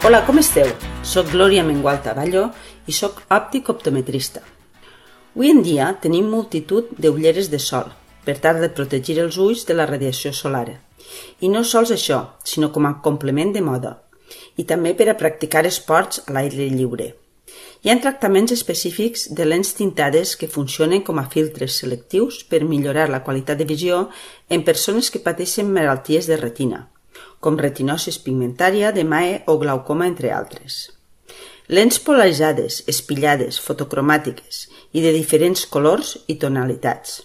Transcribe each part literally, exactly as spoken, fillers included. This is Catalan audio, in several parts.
Hola, com esteu? Soc Glòria Mengual Taballo i soc òptic optometrista. Avui en dia tenim multitud d'ulleres de sol per tal de protegir els ulls de la radiació solar. I no sols això, sinó com a complement de moda i també per a practicar esports a l'aire lliure. Hi ha tractaments específics de lents tintades que funcionen com a filtres selectius per millorar la qualitat de visió en persones que pateixen malalties de retina, com retinosis pigmentària, d'emae o glaucoma, entre altres. Lents polaritzades, espillades, fotocromàtiques i de diferents colors i tonalitats.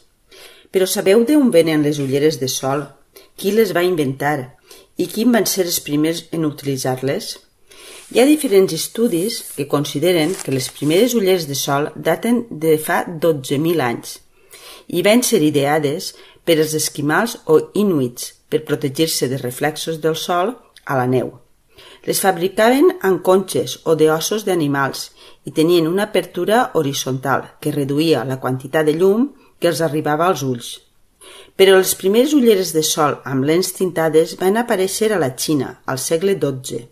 Però sabeu d'on venen les ulleres de sol? Qui les va inventar? I quins van ser els primers en utilitzar-les? Hi ha diferents estudis que consideren que les primeres ulleres de sol daten de fa dotze mil anys i van ser ideades per als esquimals o inuits per protegir-se de reflexos del sol a la neu. Les fabricaven amb conxes o d'ossos d'animals i tenien una apertura horitzontal que reduïa la quantitat de llum que els arribava als ulls. Però les primeres ulleres de sol amb lents tintades van aparèixer a la Xina al segle dotze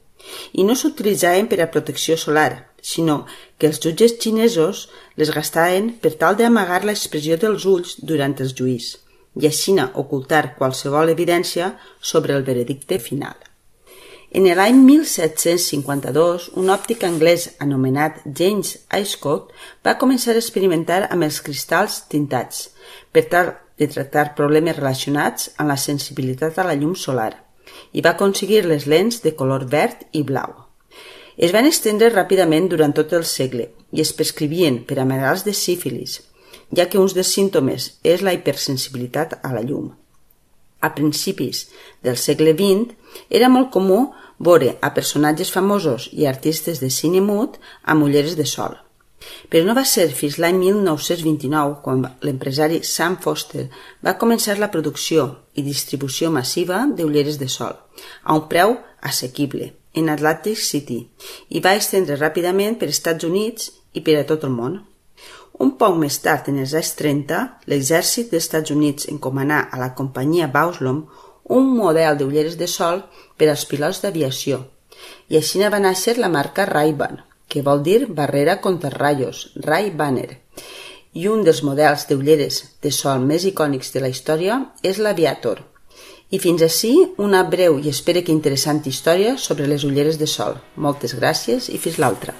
i no s'utilitzaven per a protecció solar, sinó que els jutges xinesos les gastaven per tal d'amagar l'expressió dels ulls durant els juís i així ocultar qualsevol evidència sobre el veredicte final. En l'any mil set-cents cinquanta-dos, un òptic anglès anomenat James Ayscough va començar a experimentar amb els cristalls tintats per tal de tractar problemes relacionats amb la sensibilitat a la llum solar i va aconseguir les lents de color verd i blau. Es van estendre ràpidament durant tot el segle i es prescrivien per a malalts de sífilis, ja que un dels símptomes és la hipersensibilitat a la llum. A principis del segle vint era molt comú veure a personatges famosos i artistes de cine mut amb ulleres de sol. Però no va ser fins l'any mil nou-cents vint-i-nou quan l'empresari Sam Foster va començar la producció i distribució massiva d'ulleres de sol a un preu assequible en Atlantic City i va estendre ràpidament per Estats Units i per a tot el món. Un poc més tard, en els anys trenta, l'exèrcit dels Estats Units encomanà a la companyia Bauschlom un model d'ulleres de sol per als pilots d'aviació i així va néixer la marca Ray-Ban, que vol dir barrera contra rayos, Ray-Banner. I un dels models d'ulleres de sol més icònics de la història és l'Aviator. I fins ací una breu i espero que interessant història sobre les ulleres de sol. Moltes gràcies i fins l'altra.